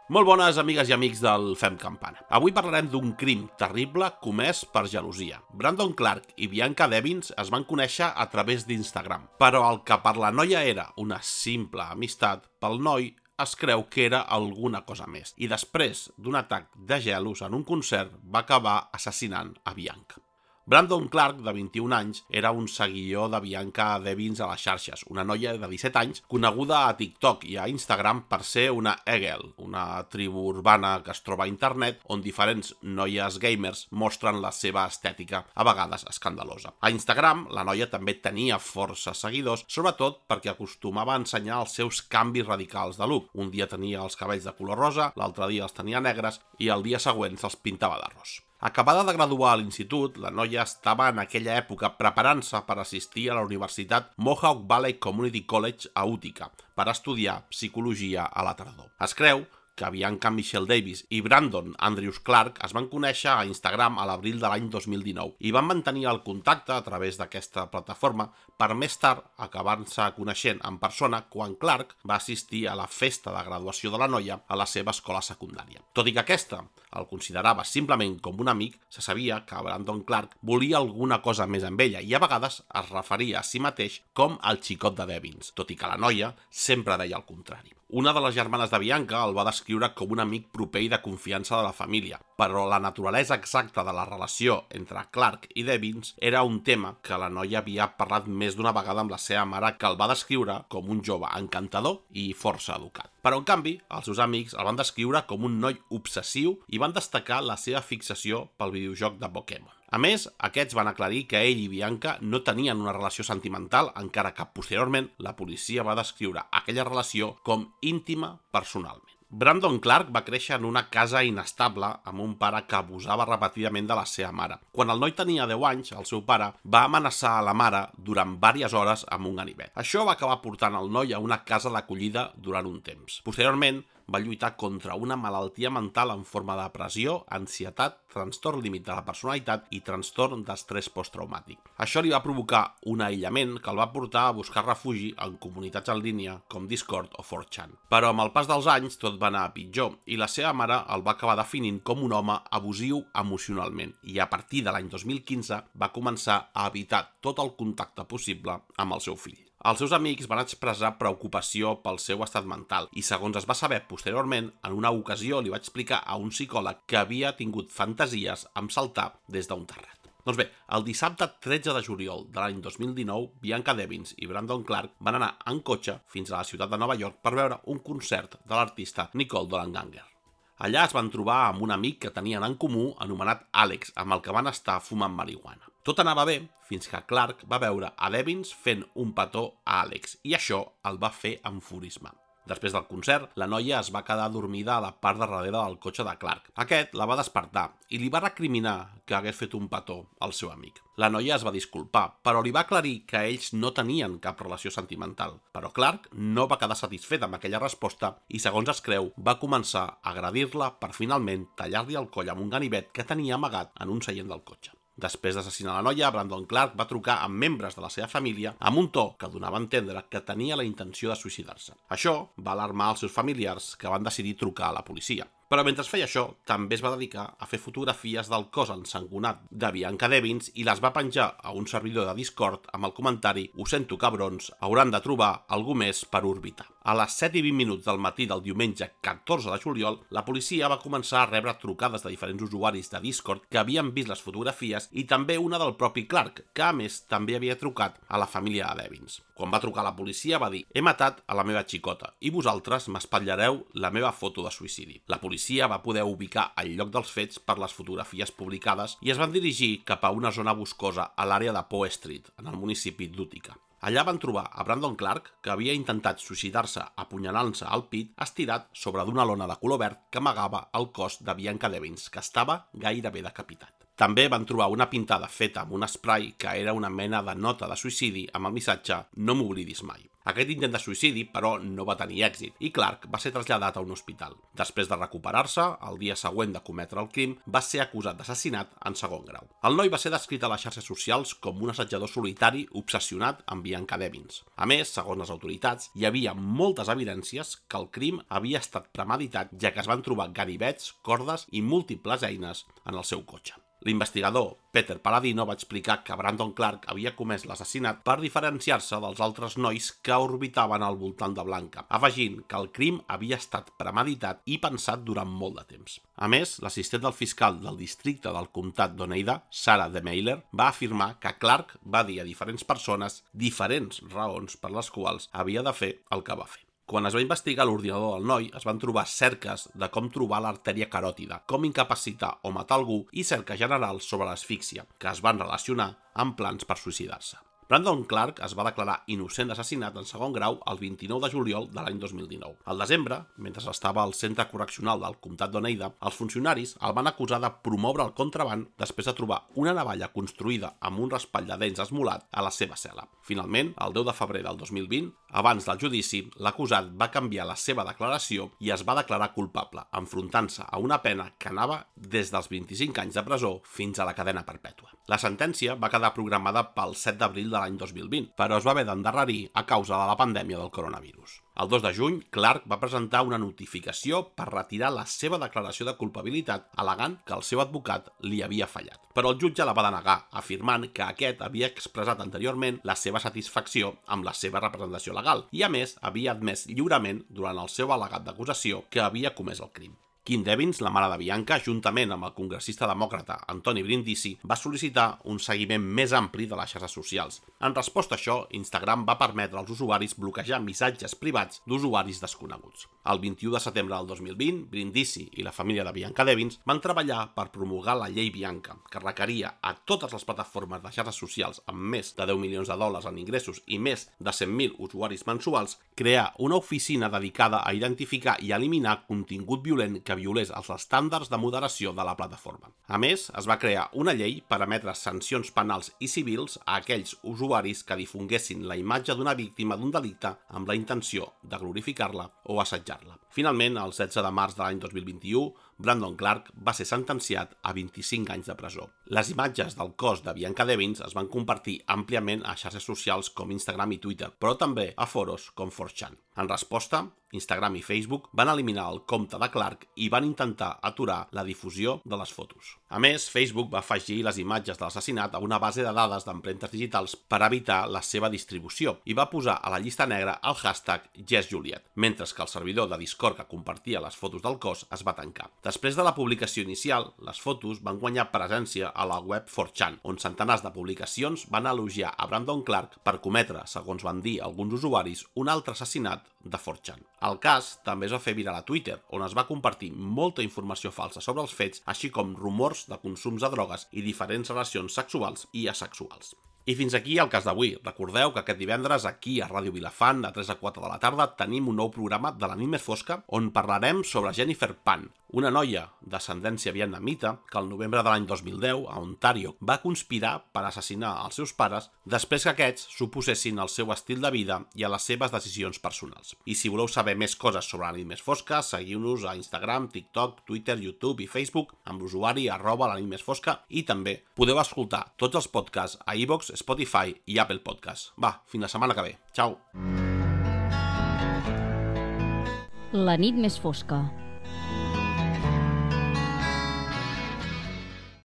Molt bones amigues i amics del Fem Campana. Avui parlarem d'un crim terrible comès per gelosia. Brandon Clark i Bianca Devins es van conèixer a través d'Instagram, però el que per la noia era una simple amistat, pel noi es creu que era alguna cosa més, i després d'un atac de gelos en un concert va acabar assassinant a Bianca. Brandon Clark, de 21 anys, era un seguidor de Bianca Devins a les xarxes, una noia de 17 anys coneguda a TikTok i a Instagram per ser una e-girl, una tribu urbana que es troba a internet on diferents noies gamers mostren la seva estètica, a vegades escandalosa. A Instagram, la noia també tenia força seguidors, sobretot perquè acostumava a ensenyar els seus canvis radicals de look. Un dia tenia els cabells de color rosa, l'altre dia els tenia negres i el dia següent se'ls pintava d'arròs. Acabada de graduar a l'institut, la noia estava en aquella època preparant-se per assistir a la universitat Mohawk Valley Community College a Utica per estudiar psicologia a la tardor. Es creu que Bianca Michelle Davis i Brandon Andrews Clark es van conèixer a Instagram a l'abril de l'any 2019 i van mantenir el contacte a través d'aquesta plataforma per més tard acabar-se coneixent en persona quan Clark va assistir a la festa de graduació de la noia a la seva escola secundària. Tot i que aquesta el considerava simplement com un amic, se sabia que Brandon Clark volia alguna cosa més amb ella i a vegades es referia a si mateix com el xicot de Devins, tot i que la noia sempre deia el contrari. Una de les germanes de Bianca el va descriure com un amic proper i de confiança de la família, però la naturalesa exacta de la relació entre Clark i Devins era un tema que la noia havia parlat més d'una vegada amb la seva mare, que el va descriure com un jove encantador i força educat. Però, en canvi, els seus amics el van descriure com un noi obsessiu i van destacar la seva fixació pel videojoc de Pokémon. A més, aquests van aclarir que ell i Bianca no tenien una relació sentimental, encara que posteriorment la policia va descriure aquella relació com íntima personalment. Brandon Clark va créixer en una casa inestable amb un pare que abusava repetidament de la seva mare. Quan el noi tenia 10 anys, el seu pare va amenaçar a la mare durant diverses hores amb un ganivet. Això va acabar portant el noi a una casa d'acollida durant un temps. Posteriorment, va lluitar contra una malaltia mental en forma de depressió, ansietat, trastorn límit de la personalitat i trastorn d'estrès posttraumàtic. Això li va provocar un aïllament que el va portar a buscar refugi en comunitats en línia com Discord o 4chan. Però amb el pas dels anys tot va anar a pitjor i la seva mare el va acabar definint com un home abusiu emocionalment i a partir de l'any 2015 va començar a evitar tot el contacte possible amb el seu fill. Els seus amics van expressar preocupació pel seu estat mental i, segons es va saber posteriorment, en una ocasió li va explicar a un psicòleg que havia tingut fantasies amb saltar des d'un terrat. Doncs bé, el dissabte 13 de juliol de l'any 2019, Bianca Devins i Brandon Clark van anar en cotxe fins a la ciutat de Nova York per veure un concert de l'artista Nicole Dollanganger. Allà es van trobar amb un amic que tenien en comú anomenat Alex, amb el que van estar fumant marihuana. Tot anava bé fins que Clark va veure a Devins fent un petó a Alex i això el va fer enfurismar. Després del concert, la noia es va quedar dormida a la part de darrere del cotxe de Clark. Aquest la va despertar i li va recriminar que hagués fet un petó al seu amic. La noia es va disculpar, però li va aclarir que ells no tenien cap relació sentimental. Però Clark no va quedar satisfet amb aquella resposta i, segons es creu, va començar a agredir-la per finalment tallar-li el coll amb un ganivet que tenia amagat en un seient del cotxe. Després d'assassinar la noia, Brandon Clark va trucar amb membres de la seva família amb un to que donava a entendre que tenia la intenció de suïcidar-se. Això va alarmar els seus familiars, que van decidir trucar a la policia. Però mentre feia això, també es va dedicar a fer fotografies del cos ensangonat de Bianca Devins i les va penjar a un servidor de Discord amb el comentari «Ho sento, cabrons, hauran de trobar algú més per orbitar». A les 7:20 del matí del diumenge 14 de juliol, la policia va començar a rebre trucades de diferents usuaris de Discord que havien vist les fotografies i també una del propi Clark, que a més també havia trucat a la família de Devins. Quan va trucar a la policia va dir «He matat a la meva xicota i vosaltres m'espatllareu la meva foto de suïcidi». La policia va poder ubicar el lloc dels fets per les fotografies publicades i es van dirigir cap a una zona boscosa a l'àrea de Poe Street, en el municipi d'Utica. Allà van trobar a Brandon Clark, que havia intentat suïcidar-se apunyalant-se al pit, estirat sobre d'una lona de color verd que amagava el cos de Bianca Devins, que estava gairebé decapitat. També van trobar una pintada feta amb un spray que era una mena de nota de suïcidi amb el missatge "No m'oblidis mai". Aquest intent de suïcidi, però, no va tenir èxit i Clark va ser traslladat a un hospital. Després de recuperar-se, el dia següent de cometre el crim, va ser acusat d'assassinat en segon grau. El noi va ser descrit a les xarxes socials com un assetjador solitari obsessionat amb Bianca Devins. A més, segons les autoritats, hi havia moltes evidències que el crim havia estat premeditat, ja que es van trobar ganivets, cordes i múltiples eines en el seu cotxe. L'investigador Peter Paladino va explicar que Brandon Clark havia comès l'assassinat per diferenciar-se dels altres nois que orbitaven al voltant de Blanca, afegint que el crim havia estat premeditat i pensat durant molt de temps. A més, l'assistent del fiscal del districte del comtat d'Oneida, Sarah DeMailer, va afirmar que Clark va dir a diferents persones diferents raons per les quals havia de fer el que va fer. Quan es va investigar l'ordinador del noi, es van trobar cerques de com trobar l'artèria caròtida, com incapacitar o matar algú i cerques generals sobre l'asfíxia, que es van relacionar amb plans per suïcidar-se. Brandon Clark es va declarar innocent d'assassinat en segon grau el 29 de juliol de l'any 2019. Al desembre, mentre estava al centre correccional del comtat d'Oneida, els funcionaris el van acusar de promoure el contraban després de trobar una navalla construïda amb un raspall de dents esmolat a la seva cel·la. Finalment, el 10 de febrer del 2020, abans del judici, l'acusat va canviar la seva declaració i es va declarar culpable, enfrontant-se a una pena que anava des dels 25 anys de presó fins a la cadena perpètua. La sentència va quedar programada pel 7 d'abril de l'any 2020, però es va haver d'endarrerir a causa de la pandèmia del coronavirus. El 2 de juny, Clark va presentar una notificació per retirar la seva declaració de culpabilitat, al·legant que el seu advocat li havia fallat. Però el jutge la va denegar, afirmant que aquest havia expressat anteriorment la seva satisfacció amb la seva representació legal i, a més, havia admès lliurement durant el seu al·legat d'acusació que havia comès el crim. Kim Devins, la mare de Bianca, juntament amb el congressista demòcrata Anthony Brindisi, va sol·licitar un seguiment més ampli de les xarxes socials. En resposta a això, Instagram va permetre als usuaris bloquejar missatges privats d'usuaris desconeguts. El 21 de setembre del 2020, Brindisi i la família de Bianca Devins van treballar per promulgar la llei Bianca, que requeria a totes les plataformes de xarxes socials amb més de $10 milions en ingressos i més de 100.000 usuaris mensuals crear una oficina dedicada a identificar i eliminar contingut violent que violés els estàndards de moderació de la plataforma. A més, es va crear una llei per emetre sancions penals i civils a aquells usuaris que difonguessin la imatge d'una víctima d'un delicte amb la intenció de glorificar-la o assetjar-la. Finalment, el 16 de març de l'any 2021, Brandon Clark va ser sentenciat a 25 anys de presó. Les imatges del cos de Bianca Devins es van compartir àmpliament a xarxes socials com Instagram i Twitter, però també a foros com 4chan. En resposta, Instagram i Facebook van eliminar el compte de Clark i van intentar aturar la difusió de les fotos. A més, Facebook va afegir les imatges de l'assassinat a una base de dades d'empremtes digitals per evitar la seva distribució i va posar a la llista negra el hashtag JessJuliet, mentre que el servidor de Discord que compartia les fotos del cos es va tancar. Després de la publicació inicial, les fotos van guanyar presència a la web 4chan, on centenars de publicacions van elogiar a Brandon Clark per cometre, segons van dir alguns usuaris, un altre assassinat de 4chan. El cas també es va fer viral a Twitter, on es va compartir molta informació falsa sobre els fets, així com rumors de consums de drogues i diferents relacions sexuals i asexuals. I fins aquí el cas d'avui. Recordeu que aquest divendres aquí a Ràdio Vilafant, de 3 a 4 de la tarda, tenim un nou programa de la nit més fosca on parlarem sobre Jennifer Pan, una noia d'ascendència vietnamita que el novembre de l'any 2010 a Ontario va conspirar per assassinar els seus pares després que aquests s'oposessin al seu estil de vida i a les seves decisions personals. I si voleu saber més coses sobre la nit més fosca, seguiu-nos a Instagram, TikTok, Twitter, YouTube i Facebook amb l'usuari @lanitmesfosca i també podeu escoltar tots els podcasts a iVoox, Spotify i Apple Podcasts. Va, fins la setmana que ve. Ciao! La nit més fosca.